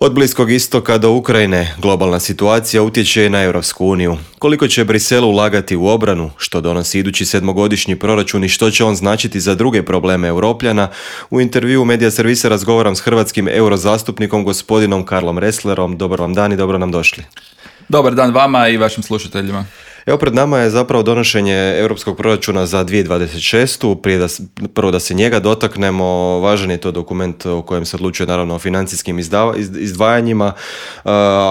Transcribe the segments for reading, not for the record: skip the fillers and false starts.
Od Bliskog istoka do Ukrajine globalna situacija utječe na Europsku uniju. Koliko će Brisel ulagati u obranu, što donosi idući 7-godišnji proračun i što će on značiti za druge probleme Europljana, u intervjuu Medija Servisa razgovaram s hrvatskim eurozastupnikom gospodinom Karlom Resslerom. Dobar vam dan i dobro nam došli. Dobar dan vama i vašim slušateljima. Evo, pred nama je zapravo donošenje europskog proračuna za 2026. Prvo da se njega dotaknemo, važan je to dokument o kojem se odlučuje naravno o financijskim izdvajanjima.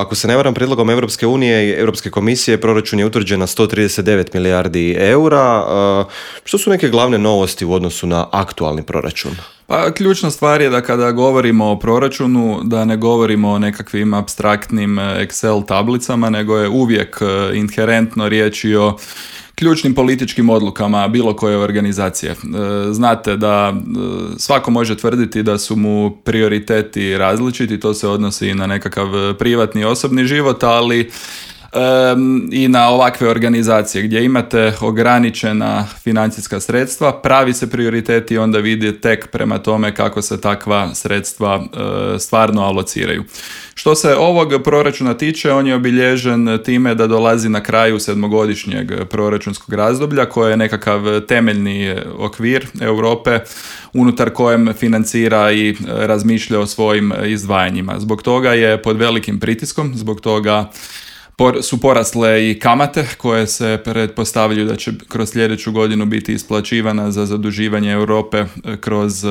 Ako se ne varam, prijedlogom Europske unije i Europske komisije proračun je utvrđen na 139 milijardi eura. Što su neke glavne novosti u odnosu na aktualni proračun? Pa ključna stvar je da kada govorimo o proračunu, da ne govorimo o nekakvim apstraktnim Excel tablicama, nego je uvijek inherentno riječ i o ključnim političkim odlukama bilo koje organizacije. Znate da svako može tvrditi da su mu prioriteti različiti, to se odnosi i na nekakav privatni osobni život, ali i na ovakve organizacije gdje imate ograničena financijska sredstva, pravi se prioriteti onda vidi tek prema tome kako se takva sredstva stvarno alociraju. Što se ovog proračuna tiče, on je obilježen time da dolazi na kraju 7-godišnjeg proračunskog razdoblja koje je nekakav temeljni okvir Europe unutar kojem financira i razmišlja o svojim izdvajanjima. Zbog toga je pod velikim pritiskom, zbog toga su porasle i kamate koje se pretpostavljaju da će kroz sljedeću godinu biti isplaćivana za zaduživanje Europe kroz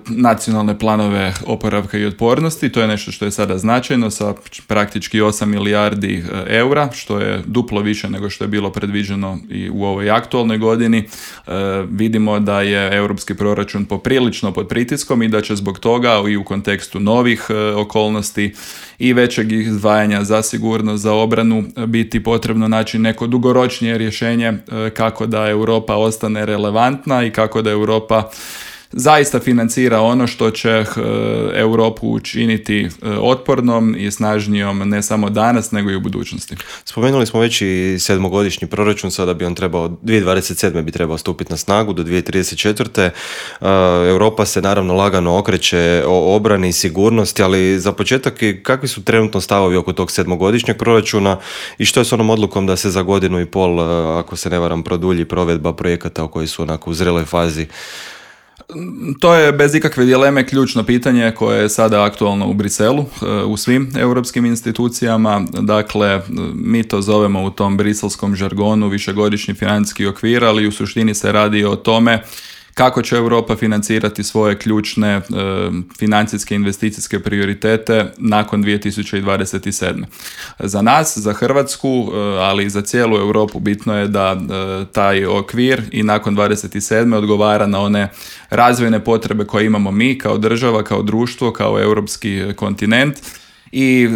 nacionalne planove oporavka i otpornosti. To je nešto što je sada značajno sa praktički 8 milijardi eura, što je duplo više nego što je bilo predviđeno i u ovoj aktualnoj godini. Vidimo da je europski proračun poprilično pod pritiskom i da će zbog toga i u kontekstu novih okolnosti i većeg izdvajanja za sigurnost, za obranu biti potrebno naći neko dugoročnije rješenje kako da Europa ostane relevantna i kako da Europa zaista financira ono što će Europu učiniti otpornom i snažnijom ne samo danas, nego i u budućnosti. Spomenuli smo već i 7-godišnji proračun, sada bi on trebao, 2027. bi trebao stupiti na snagu do 2034. Europa se naravno lagano okreće o obrani i sigurnosti, ali za početak kakvi su trenutno stavovi oko tog 7-godišnjeg proračuna i što je s onom odlukom da se za godinu i pol, ako se ne varam, produlji provedba projekata koji su onako u zreloj fazi? To je bez ikakve dileme ključno pitanje koje je sada aktualno u Briselu, u svim europskim institucijama. Dakle, mi to zovemo u tom briselskom žargonu višegodišnji financijski okvir, ali u suštini se radi o tome kako će Europa financirati svoje ključne financijske investicijske prioritete nakon 2027. Za nas, za Hrvatsku, ali i za cijelu Europu bitno je da taj okvir i nakon 2027. odgovara na one razvojne potrebe koje imamo mi kao država, kao društvo, kao europski kontinent. I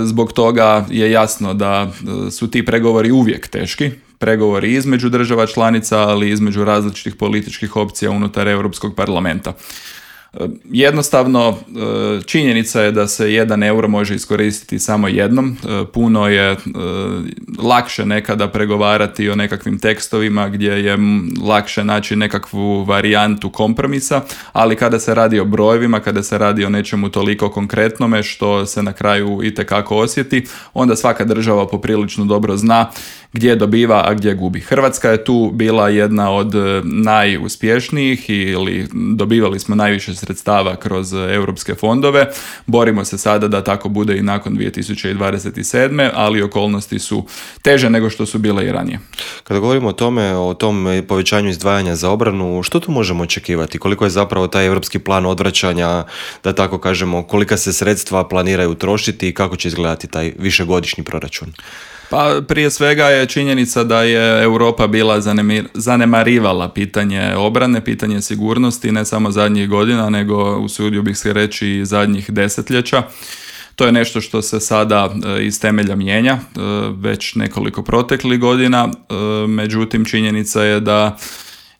zbog toga je jasno da su ti pregovori uvijek teški. Pregovori između država članica, ali između različitih političkih opcija unutar Europskog parlamenta. Jednostavno, činjenica je da se 1 euro može iskoristiti samo jednom. Puno je lakše nekada pregovarati o nekakvim tekstovima gdje je lakše naći nekakvu varijantu kompromisa, ali kada se radi o brojevima, kada se radi o nečemu toliko konkretnome što se na kraju itekako osjeti, onda svaka država poprilično dobro zna gdje dobiva, a gdje gubi. Hrvatska je tu bila jedna od najuspješnijih ili dobivali smo najviše sredstava kroz europske fondove. Borimo se sada da tako bude i nakon 2027. ali okolnosti su teže nego što su bile i ranije. Kada govorimo o tom povećanju izdvajanja za obranu, što tu možemo očekivati? Koliko je zapravo taj europski plan odvraćanja, da tako kažemo, kolika se sredstva planiraju trošiti i kako će izgledati taj višegodišnji proračun? Pa prije svega je činjenica da je Europa bila zanemarivala pitanje obrane, pitanje sigurnosti ne samo zadnjih godina, nego usudio bih se reći i zadnjih desetljeća. To je nešto što se sada iz temelja mijenja već nekoliko proteklih godina, međutim činjenica je da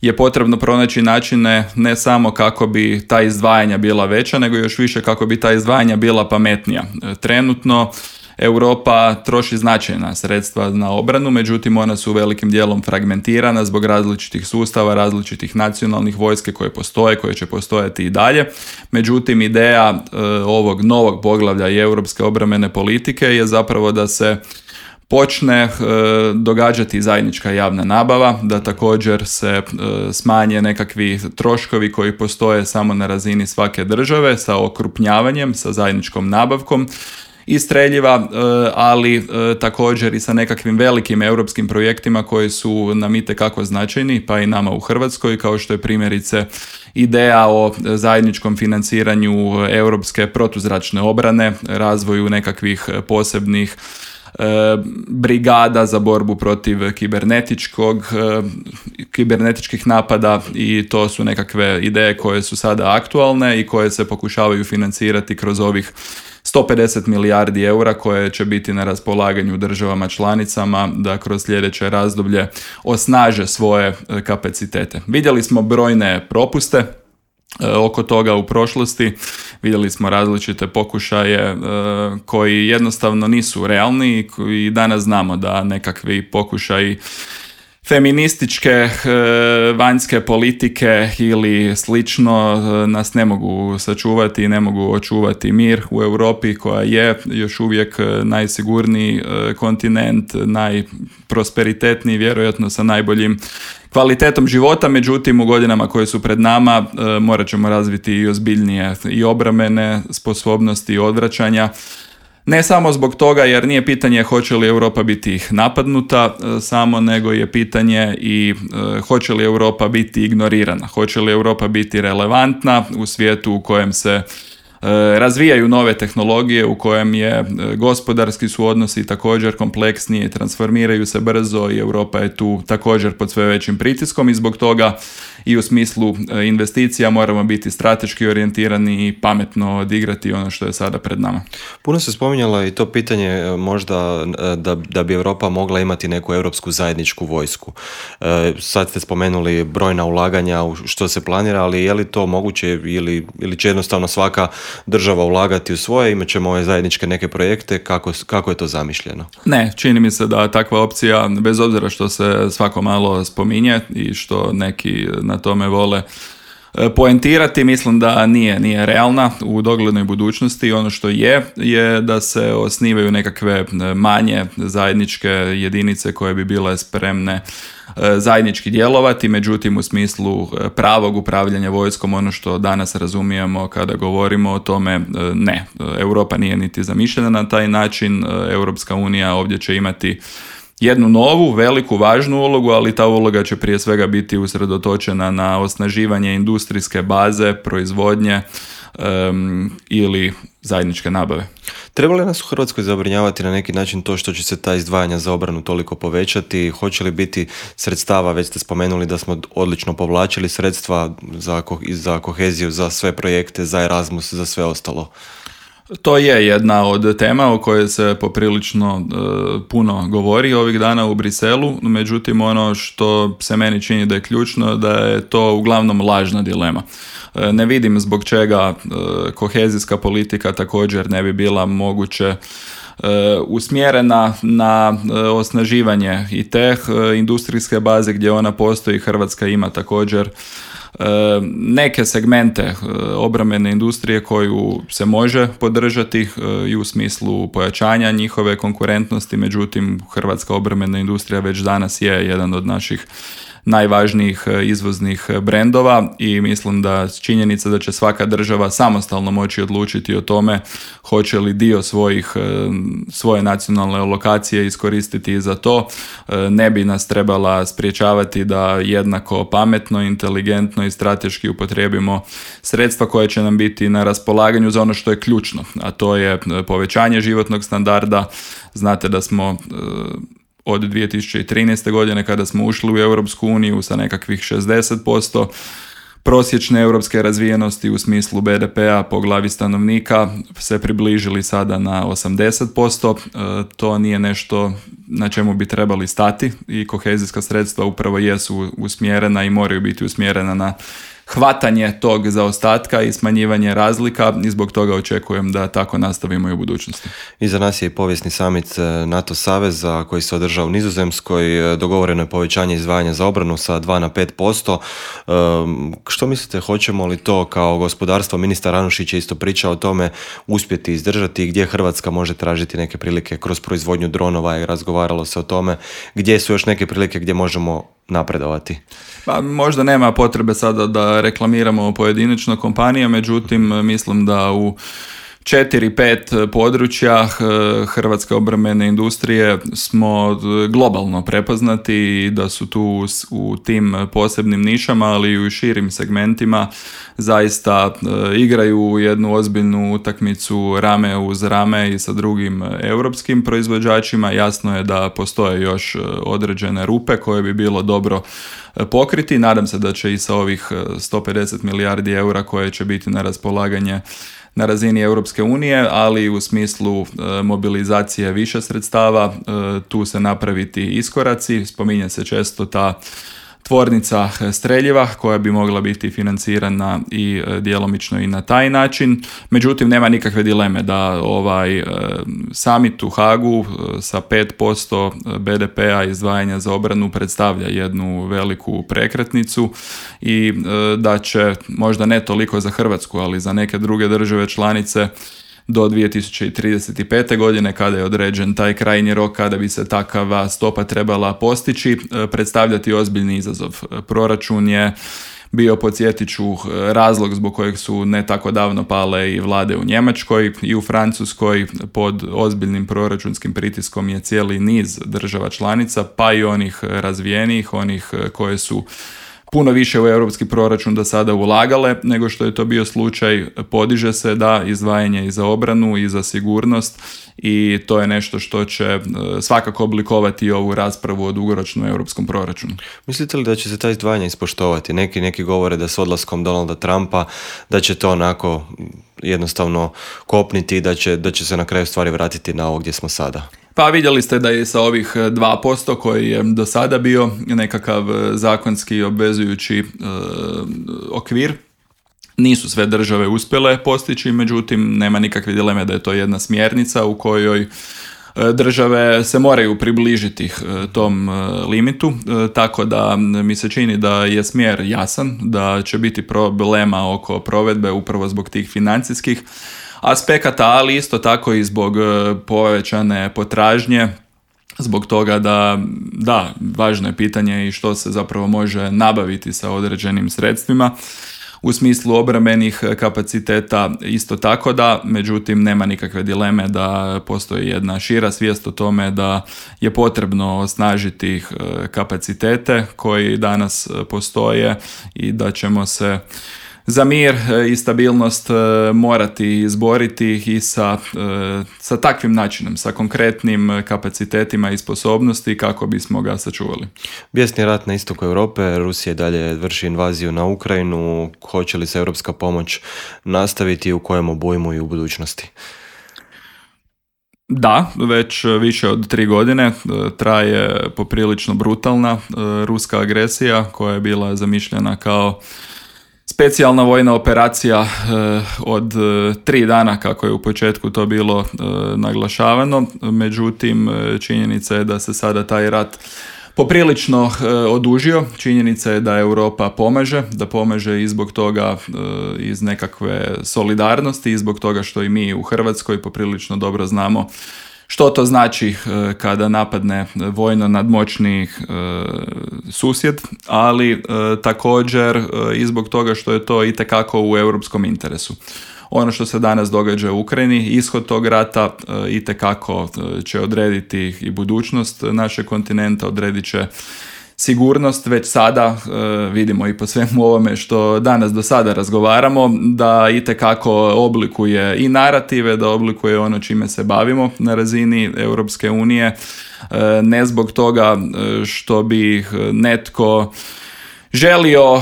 je potrebno pronaći načine ne samo kako bi ta izdvajanja bila veća, nego još više kako bi ta izdvajanja bila pametnija. Trenutno Europa troši značajna sredstva na obranu, međutim ona su velikim dijelom fragmentirana zbog različitih sustava, različitih nacionalnih vojske koje postoje, koje će postojati i dalje. Međutim, ideja ovog novog poglavlja i europske obrambene politike je zapravo da se počne događati zajednička javna nabava, da također se smanje nekakvi troškovi koji postoje samo na razini svake države sa okrupnjavanjem, sa zajedničkom nabavkom i streljiva, ali također i sa nekakvim velikim europskim projektima koji su nam itekako značajni, pa i nama u Hrvatskoj, kao što je primjerice ideja o zajedničkom financiranju europske protuzračne obrane, razvoju nekakvih posebnih brigada za borbu protiv kibernetičkih napada, i to su nekakve ideje koje su sada aktualne i koje se pokušavaju financirati kroz ovih 150 milijardi eura koje će biti na raspolaganju državama članicama da kroz sljedeće razdoblje osnaže svoje kapacitete. Vidjeli smo brojne propuste oko toga u prošlosti, vidjeli smo različite pokušaje koji jednostavno nisu realni i danas znamo da nekakvi pokušaji feminističke vanjske politike ili slično nas ne mogu sačuvati i ne mogu očuvati mir u Europi, koja je još uvijek najsigurniji kontinent, najprosperitetniji, vjerojatno sa najboljim kvalitetom života. Međutim, u godinama koje su pred nama morat ćemo razviti i ozbiljnije i obrambene sposobnosti i odvraćanja. Ne samo zbog toga, jer nije pitanje hoće li Europa biti napadnuta samo, nego je pitanje i hoće li Europa biti ignorirana, hoće li Europa biti relevantna u svijetu u kojem se razvijaju nove tehnologije, u kojem je gospodarski su odnosi također kompleksniji, transformiraju se brzo i Europa je tu također pod sve većim pritiskom, i zbog toga i u smislu investicija moramo biti strateški orijentirani i pametno odigrati ono što je sada pred nama. Puno se spominjalo i to pitanje možda da bi Europa mogla imati neku europsku zajedničku vojsku. Sad ste spomenuli brojna ulaganja u što se planira, ali je li to moguće ili će jednostavno svaka država ulagati u svoje, imat ćemo ove zajedničke neke projekte, kako je to zamišljeno? Ne, čini mi se da takva opcija, bez obzira što se svako malo spominje i što neki na tome vole poentirati, mislim da nije realna u doglednoj budućnosti. Ono što je da se osnivaju nekakve manje zajedničke jedinice koje bi bile spremne zajednički djelovati, međutim u smislu pravog upravljanja vojskom, ono što danas razumijemo kada govorimo o tome, ne. Europa nije niti zamišljena na taj način. Europska unija ovdje će imati jednu novu, veliku, važnu ulogu, ali ta uloga će prije svega biti usredotočena na osnaživanje industrijske baze, proizvodnje ili zajedničke nabave. Treba li nas u Hrvatskoj zabrinjavati na neki način to što će se ta izdvajanja za obranu toliko povećati? Hoće li biti sredstava, već ste spomenuli da smo odlično povlačili sredstva za koheziju, za sve projekte, za Erasmus, za sve ostalo? To je jedna od tema o kojoj se poprilično puno govori ovih dana u Briselu, međutim ono što se meni čini da je ključno, da je to uglavnom lažna dilema. Ne vidim zbog čega kohezijska politika također ne bi bila moguće usmjerena na osnaživanje i te industrijske baze gdje ona postoji. Hrvatska ima također neke segmente obrambene industrije koju se može podržati i u smislu pojačanja njihove konkurentnosti, međutim hrvatska obrambena industrija već danas je jedan od naših najvažnijih izvoznih brendova i mislim da činjenica da će svaka država samostalno moći odlučiti o tome hoće li dio svoje nacionalne alokacije iskoristiti za to, ne bi nas trebala spriječavati da jednako pametno, inteligentno i strateški upotrijebimo sredstva koja će nam biti na raspolaganju za ono što je ključno, a to je povećanje životnog standarda. Znate da smo od 2013. godine kada smo ušli u Europsku uniju sa nekakvih 60% prosječne europske razvijenosti u smislu BDP-a po glavi stanovnika se približili sada na 80%. To nije nešto na čemu bi trebali stati i kohezijska sredstva upravo jesu usmjerena i moraju biti usmjerena na hvatanje tog zaostatka i smanjivanje razlika i zbog toga očekujem da tako nastavimo i u budućnosti. Iza nas je i povijesni summit NATO saveza koji se održao u Nizozemskoj. Dogovoreno je povećanje izdvajanja za obranu sa 2 na 5%. Što mislite, hoćemo li to kao gospodarstvo, ministar Anušić je isto pričao o tome, uspjeti izdržati i gdje Hrvatska može tražiti neke prilike kroz proizvodnju dronova i razgovaralo se o tome gdje su još neke prilike gdje možemo napredovati? Pa, možda nema potrebe sada da reklamiramo pojedinačno kompanije, međutim mislim da u 4-5 područja hrvatske obrambene industrije smo globalno prepoznati i da su tu u tim posebnim nišama, ali i u širim segmentima zaista igraju jednu ozbiljnu utakmicu rame uz rame i sa drugim europskim proizvođačima. Jasno je da postoje još određene rupe koje bi bilo dobro pokriti. Nadam se da će i sa ovih 150 milijardi eura koje će biti na raspolaganje na razini Europske unije, ali u smislu mobilizacije više sredstava, tu se napraviti iskoraci. Spominje se često ta tvornica streljiva koja bi mogla biti financirana i djelomično i na taj način. Međutim, nema nikakve dileme da ovaj summit u Hagu sa 5% BDP-a izdvajanja za obranu predstavlja jednu veliku prekretnicu i da će možda ne toliko za Hrvatsku, ali za neke druge države članice do 2035. godine, kada je određen taj krajnji rok, kada bi se takva stopa trebala postići, predstavljati ozbiljni izazov. Proračun je bio, podsjetit ću, razlog zbog kojeg su ne tako davno pale i vlade u Njemačkoj i u Francuskoj. Pod ozbiljnim proračunskim pritiskom je cijeli niz država članica, pa i onih razvijenijih, onih koje su puno više u europski proračun do sada ulagale nego što je to bio slučaj. Podiže se da izdvajanje i za obranu i za sigurnost i to je nešto što će svakako oblikovati ovu raspravu o dugoročnom europskom proračunu. Mislite li da će se ta izdvajanja ispoštovati? Neki govore da s odlaskom Donalda Trumpa da će to onako jednostavno kopniti i da će se na kraju stvari vratiti na ovo gdje smo sada. Pa vidjeli ste da je sa ovih 2% koji je do sada bio nekakav zakonski obvezujući okvir, nisu sve države uspjele postići, međutim nema nikakve dileme da je to jedna smjernica u kojoj države se moraju približiti tom limitu, tako da mi se čini da je smjer jasan, da će biti problema oko provedbe upravo zbog tih financijskih aspekata, ali isto tako i zbog povećane potražnje, zbog toga da, važno je pitanje i što se zapravo može nabaviti sa određenim sredstvima. U smislu obrambenih kapaciteta isto tako da, međutim nema nikakve dileme da postoji jedna šira svijest o tome da je potrebno osnažiti kapacitete koji danas postoje i da ćemo se za mir i stabilnost morati izboriti i sa takvim načinom, sa konkretnim kapacitetima i sposobnosti kako bismo ga sačuvali. Bijesni rat na istoku Europe, Rusija dalje vrši invaziju na Ukrajinu. Hoće li se europska pomoć nastaviti i u kojem obujmu i u budućnosti? Da, već više od 3 godine traje poprilično brutalna ruska agresija koja je bila zamišljena kao specijalna vojna operacija od 3 dana, kako je u početku to bilo naglašavano. Međutim, činjenica je da se sada taj rat poprilično odužio. Činjenica je da Europa pomaže i zbog toga iz nekakve solidarnosti i zbog toga što i mi u Hrvatskoj poprilično dobro znamo što to znači kada napadne vojno nadmoćni susjed, ali također i zbog toga što je to itekako u europskom interesu. Ono što se danas događa u Ukrajini, ishod tog rata itekako će odrediti i budućnost našeg kontinenta, odredit će sigurnost. Već sada vidimo i po svemu ovome što danas do sada razgovaramo da itekako oblikuje i narative, da oblikuje ono čime se bavimo na razini Europske unije, ne zbog toga što bi netko želio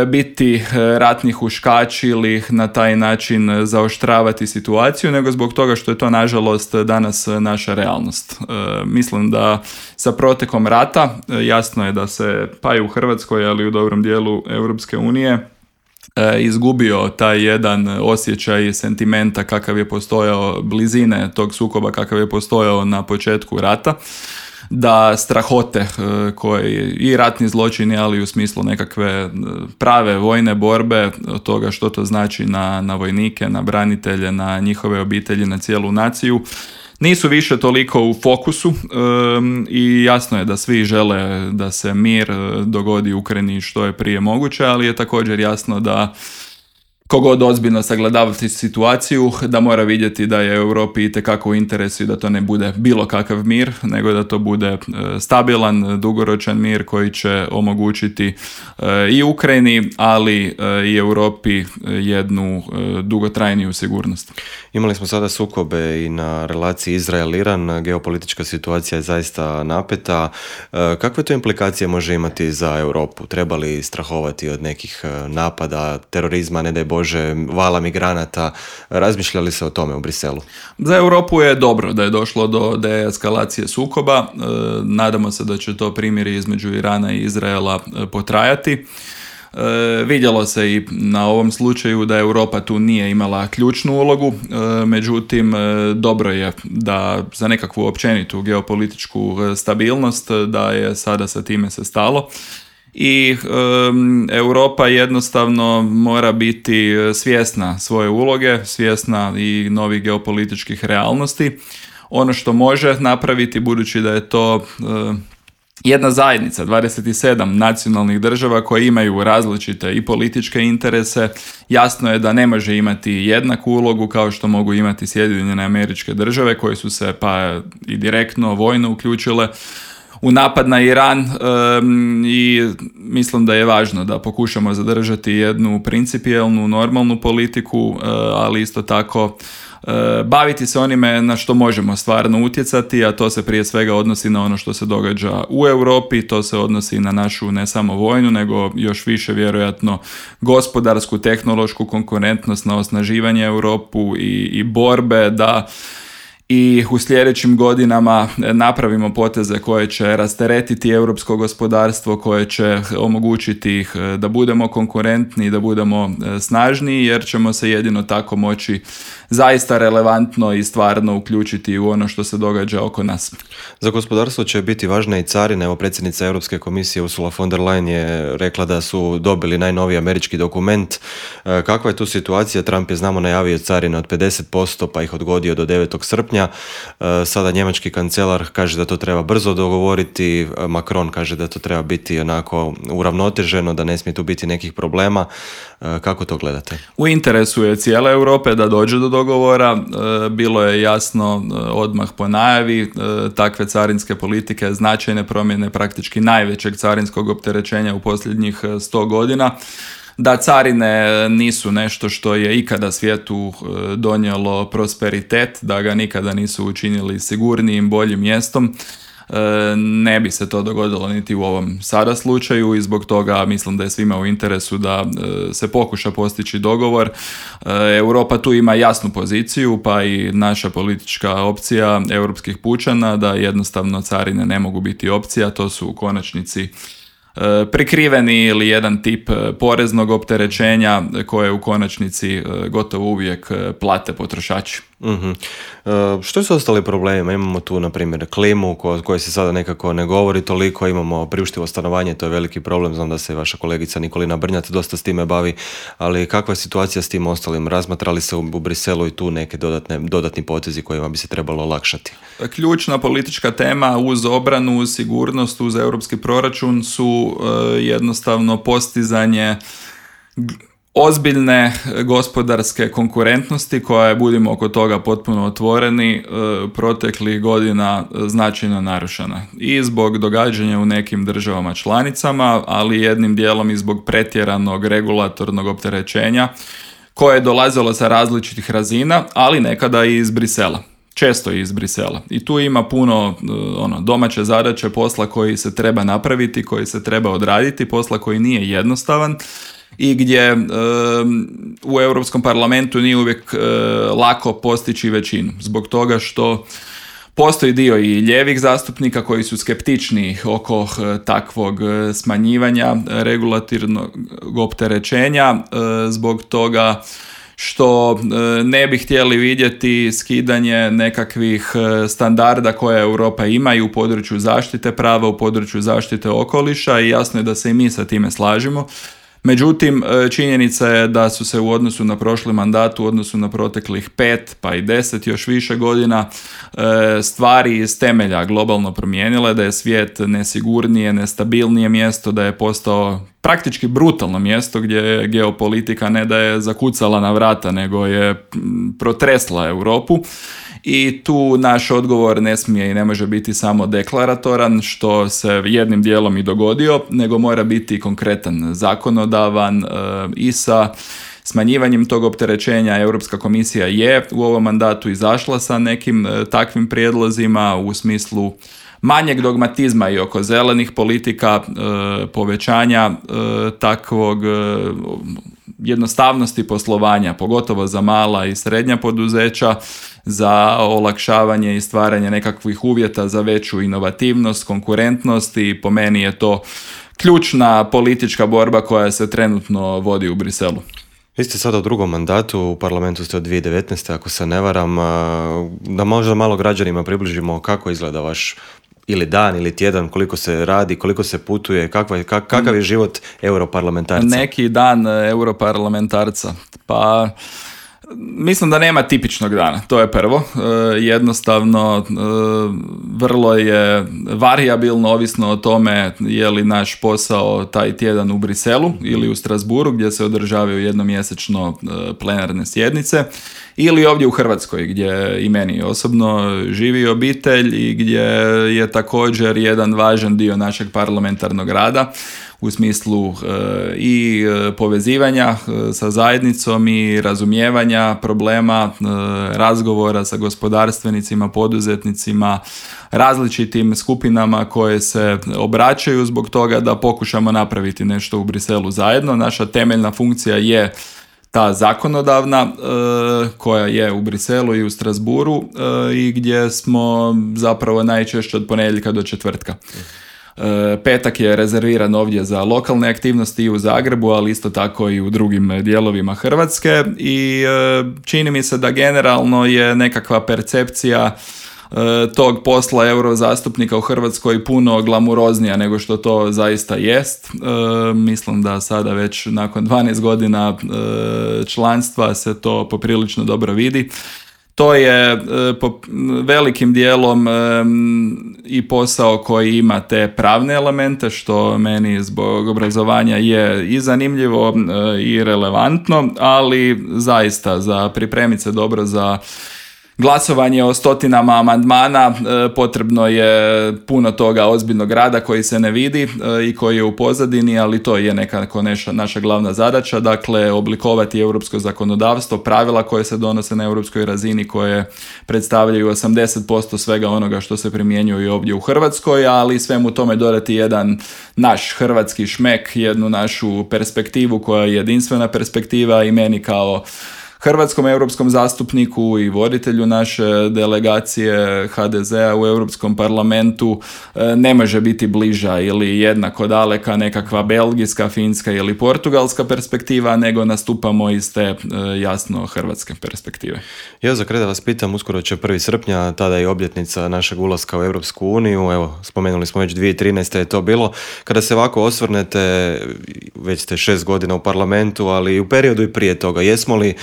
biti ratni huškač ili na taj način zaoštravati situaciju, nego zbog toga što je to nažalost danas naša realnost. Mislim da sa protekom rata jasno je da se pa i u Hrvatskoj, ali i u dobrom dijelu Europske unije izgubio taj jedan osjećaj sentimenta kakav je postojao, blizine tog sukoba kakav je postojao na početku rata, da strahote koje i ratni zločini, ali u smislu nekakve prave vojne borbe, od toga što to znači na vojnike, na branitelje, na njihove obitelji, na cijelu naciju, nisu više toliko u fokusu i jasno je da svi žele da se mir dogodi u Ukrajini što je prije moguće, ali je također jasno da kogod ozbiljno sagledavati situaciju, da mora vidjeti da je Europi itekako u interesu i da to ne bude bilo kakav mir, nego da to bude stabilan, dugoročan mir koji će omogućiti i Ukrajini, ali i Europi jednu dugotrajniju sigurnost. Imali smo sada sukobe i na relaciji Izrael-Iran, geopolitička situacija je zaista napeta. Kakve to implikacije može imati za Europu? Treba li strahovati od nekih napada, terorizma, ne daj Bože, vala migranata? Razmišljali se o tome u Briselu? Za Europu je dobro da je došlo do deeskalacije sukoba. Nadamo se da će to primjeri između Irana i Izraela potrajati. Vidjelo se i na ovom slučaju da Europa tu nije imala ključnu ulogu, međutim dobro je da za nekakvu općenitu geopolitičku stabilnost da je sada sa time se stalo. I Europa jednostavno mora biti svjesna svoje uloge, svjesna i novih geopolitičkih realnosti. Ono što može napraviti, budući da je to jedna zajednica, 27 nacionalnih država koje imaju različite i političke interese, jasno je da ne može imati jednaku ulogu kao što mogu imati Sjedinjene Američke Države koje su se pa i direktno vojno uključile u napad na Iran i mislim da je važno da pokušamo zadržati jednu principijelnu, normalnu politiku, ali isto tako baviti se onime na što možemo stvarno utjecati, a to se prije svega odnosi na ono što se događa u Europi, to se odnosi na našu ne samo vojnu, nego još više vjerojatno gospodarsku, tehnološku konkurentnost, na osnaživanje Europu i borbe da i u sljedećim godinama napravimo poteze koje će rasteretiti europsko gospodarstvo, koje će omogućiti da budemo konkurentni, da budemo snažniji, jer ćemo se jedino tako moći zaista relevantno i stvarno uključiti u ono što se događa oko nas. Za gospodarstvo će biti važne i carine. Evo, predsjednica Europske komisije Ursula von der Leyen je rekla da su dobili najnoviji američki dokument. Kakva je tu situacija? Trump je, znamo, najavio carine od 50%, pa ih odgodio do 9. srpnja. Sada njemački kancelar kaže da to treba brzo dogovoriti. Macron kaže da to treba biti onako uravnoteženo, da ne smije tu biti nekih problema. Kako to gledate? U interesu je cijele Europe da dođe do dogovora. Bilo je jasno odmah po najavi takve carinske politike, značajne promjene praktički najvećeg carinskog opterećenja u posljednjih 100 godina. Da carine nisu nešto što je ikada svijetu donijelo prosperitet, da ga nikada nisu učinili sigurnijim, boljim mjestom. Ne bi se to dogodilo niti u ovom sada slučaju i zbog toga mislim da je svima u interesu da se pokuša postići dogovor. Europa tu ima jasnu poziciju, pa i naša politička opcija europskih pučana, da jednostavno carine ne mogu biti opcija, to su u konačnici prikriveni ili jedan tip poreznog opterećenja koje u konačnici gotovo uvijek plate potrošači. Mm-hmm. Što su ostali problemi? Imamo tu, na primjer, klimu kojoj se sada nekako ne govori toliko, imamo priuštivo stanovanje, to je veliki problem, znam da se vaša kolegica Nikolina Brnjac dosta s time bavi, ali kakva je situacija s tim ostalim? Razmatrali se u Briselu i tu neke dodatni potezi kojima bi se trebalo olakšati? Ključna politička tema uz obranu, uz sigurnost, uz europski proračun su jednostavno postizanje ozbiljne gospodarske konkurentnosti koja je, budimo oko toga potpuno otvoreni, proteklih godina značajno narušena. I zbog događanja u nekim državama članicama, ali jednim dijelom i zbog pretjeranog regulatornog opterećenja koje je dolazilo sa različitih razina, ali nekada i iz Brisela. Često iz Brisela. I tu ima puno domaće zadaće, posla koji se treba napraviti, koji se treba odraditi, posla koji nije jednostavan i gdje u Europskom parlamentu nije uvijek lako postići većinu. Zbog toga što Postoji dio i lijevih zastupnika koji su skeptični oko takvog smanjivanja regulatornog opterećenja zbog toga što ne bi htjeli vidjeti skidanje nekakvih standarda koje Europa ima i u području zaštite prava, u području zaštite okoliša i jasno je da se i mi sa time slažemo. Međutim, činjenica je da su se u odnosu na prošli mandat, u odnosu na proteklih 5 pa i 10 još više godina stvari iz temelja globalno promijenile, da je svijet nesigurnije, nestabilnije mjesto, da je postao praktički brutalno mjesto gdje geopolitika ne da je zakucala na vrata, nego je protresla Europu. I tu naš odgovor ne smije i ne može biti samo deklaratoran, što se jednim dijelom i dogodio, nego mora biti konkretan, zakonodavan i sa smanjivanjem tog opterećenja. Europska komisija je u ovom mandatu izašla sa nekim takvim prijedlozima u smislu manjeg dogmatizma i oko zelenih politika, povećanja takvog jednostavnosti poslovanja, pogotovo za mala i srednja poduzeća, za olakšavanje i stvaranje nekakvih uvjeta za veću inovativnost, konkurentnost i po meni je to ključna politička borba koja se trenutno vodi u Briselu. Vi ste sada u drugom mandatu, u parlamentu ste od 2019. ako se ne varam, da možda malo građanima približimo kako izgleda vaš ili dan ili tjedan, koliko se radi, koliko se putuje, kakav je život europarlamentarca? Neki dan europarlamentarca, pa mislim da nema tipičnog dana, to je prvo. Jednostavno, vrlo je varijabilno, ovisno o tome je li naš posao taj tjedan u Briselu ili u Strasbourgu gdje se održavaju jednomjesečno plenarne sjednice, ili ovdje u Hrvatskoj gdje i meni osobno živi obitelj i gdje je također jedan važan dio našeg parlamentarnog rada u smislu i povezivanja sa zajednicom i razumijevanja problema, razgovora sa gospodarstvenicima, poduzetnicima, različitim skupinama koje se obraćaju zbog toga da pokušamo napraviti nešto u Briselu zajedno. Naša temeljna funkcija je ta zakonodavna koja je u Briselu i u Strasbourgu i gdje smo zapravo najčešće od ponedjeljka do četvrtka. Petak je rezerviran ovdje za lokalne aktivnosti i u Zagrebu, ali isto tako i u drugim dijelovima Hrvatske i čini mi se da generalno je nekakva percepcija tog posla eurozastupnika u Hrvatskoj puno glamuroznija nego što to zaista jest. Mislim da sada već nakon 12 godina članstva se to poprilično dobro vidi. To je po velikim dijelom i posao koji ima te pravne elemente, što meni zbog obrazovanja je i zanimljivo i relevantno, ali zaista za pripremiti se dobro za glasovanje o stotinama amandmana potrebno je puno toga ozbiljnog rada koji se ne vidi i koji je u pozadini, ali to je nekako naša glavna zadaća, dakle oblikovati europsko zakonodavstvo, pravila koje se donose na europskoj razini koje predstavljaju 80% svega onoga što se primjenjuje ovdje u Hrvatskoj, ali svemu tome dodati jedan naš hrvatski šmek, jednu našu perspektivu koja je jedinstvena perspektiva i meni kao hrvatskom europskom zastupniku i voditelju naše delegacije HDZ-a u Europskom parlamentu ne može biti bliža ili jednako daleka nekakva belgijska, finska ili portugalska perspektiva, nego nastupamo iz te jasno hrvatske perspektive. Ja za kraj da vas pitam, uskoro će 1. srpnja, tada je obljetnica našeg ulaska u Europsku uniju, evo spomenuli smo već 2013. je to bilo. Kada se ovako osvrnete, već ste 6 godina u parlamentu, ali u periodu i prije toga, jesmo li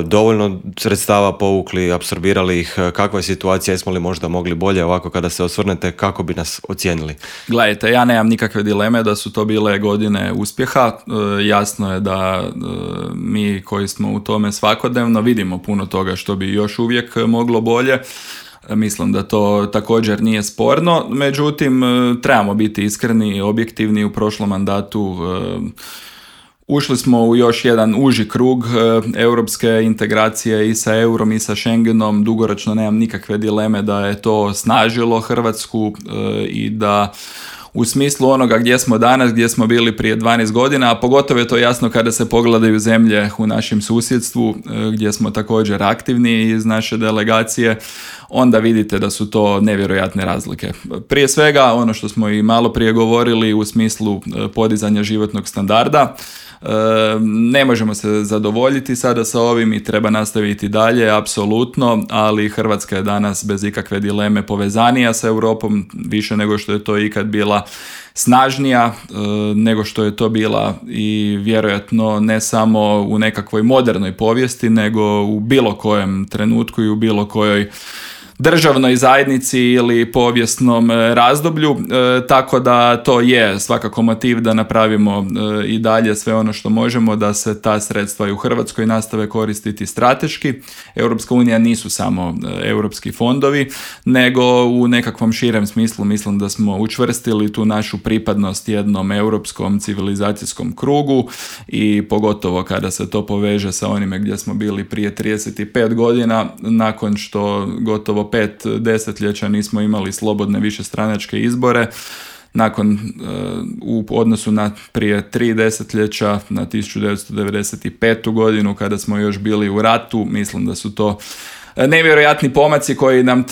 dovoljno sredstava povukli, apsorbirali ih, kakva je situacija, jesmo li možda mogli bolje, ovako kada se osvrnete, kako bi nas ocijenili? Gledajte, ja nemam nikakve dileme da su to bile godine uspjeha, jasno je da mi koji smo u tome svakodnevno vidimo puno toga što bi još uvijek moglo bolje. Mislim da to također nije sporno, međutim trebamo biti iskreni i objektivni. U prošlom mandatu ušli smo u još jedan uži krug europske integracije i sa eurom i sa Schengenom. Dugoročno nemam nikakve dileme da je to snažilo Hrvatsku i da u smislu onoga gdje smo danas, gdje smo bili prije 12 godina, a pogotovo je to jasno kada se pogledaju zemlje u našem susjedstvu gdje smo također aktivni iz naše delegacije, onda vidite da su to nevjerojatne razlike. Prije svega, ono što smo i malo prije govorili u smislu podizanja životnog standarda, ne možemo se zadovoljiti sada sa ovim i treba nastaviti dalje, apsolutno, ali Hrvatska je danas bez ikakve dileme povezanija sa Europom, više nego što je to ikad bila, snažnija nego što je to bila i vjerojatno ne samo u nekakvoj modernoj povijesti, nego u bilo kojem trenutku i u bilo kojoj državnoj zajednici ili povijesnom razdoblju, tako da to je svakako motiv da napravimo i dalje sve ono što možemo da se ta sredstva i u Hrvatskoj nastave koristiti strateški. Europska unija nisu samo europski fondovi, nego u nekakvom širem smislu mislim da smo učvrstili tu našu pripadnost jednom europskom civilizacijskom krugu i pogotovo kada se to poveže sa onime gdje smo bili prije 35 godina, nakon što gotovo 5 desetljeća nismo imali slobodne višestranačke izbore, nakon u odnosu na prije 3 desetljeća, na 1995. godinu kada smo još bili u ratu, mislim da su to nevjerojatni pomaci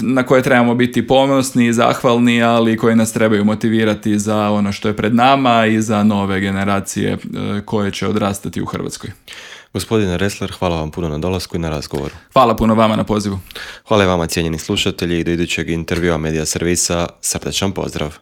na koje trebamo biti ponosni i zahvalni, ali koji nas trebaju motivirati za ono što je pred nama i za nove generacije koje će odrastati u Hrvatskoj. Gospodine Ressler, hvala vam puno na dolasku i na razgovoru. Hvala puno vama na pozivu. Hvala i vama, cijenjeni slušatelji, i do idućeg intervjua Medija servisa srdačan pozdrav.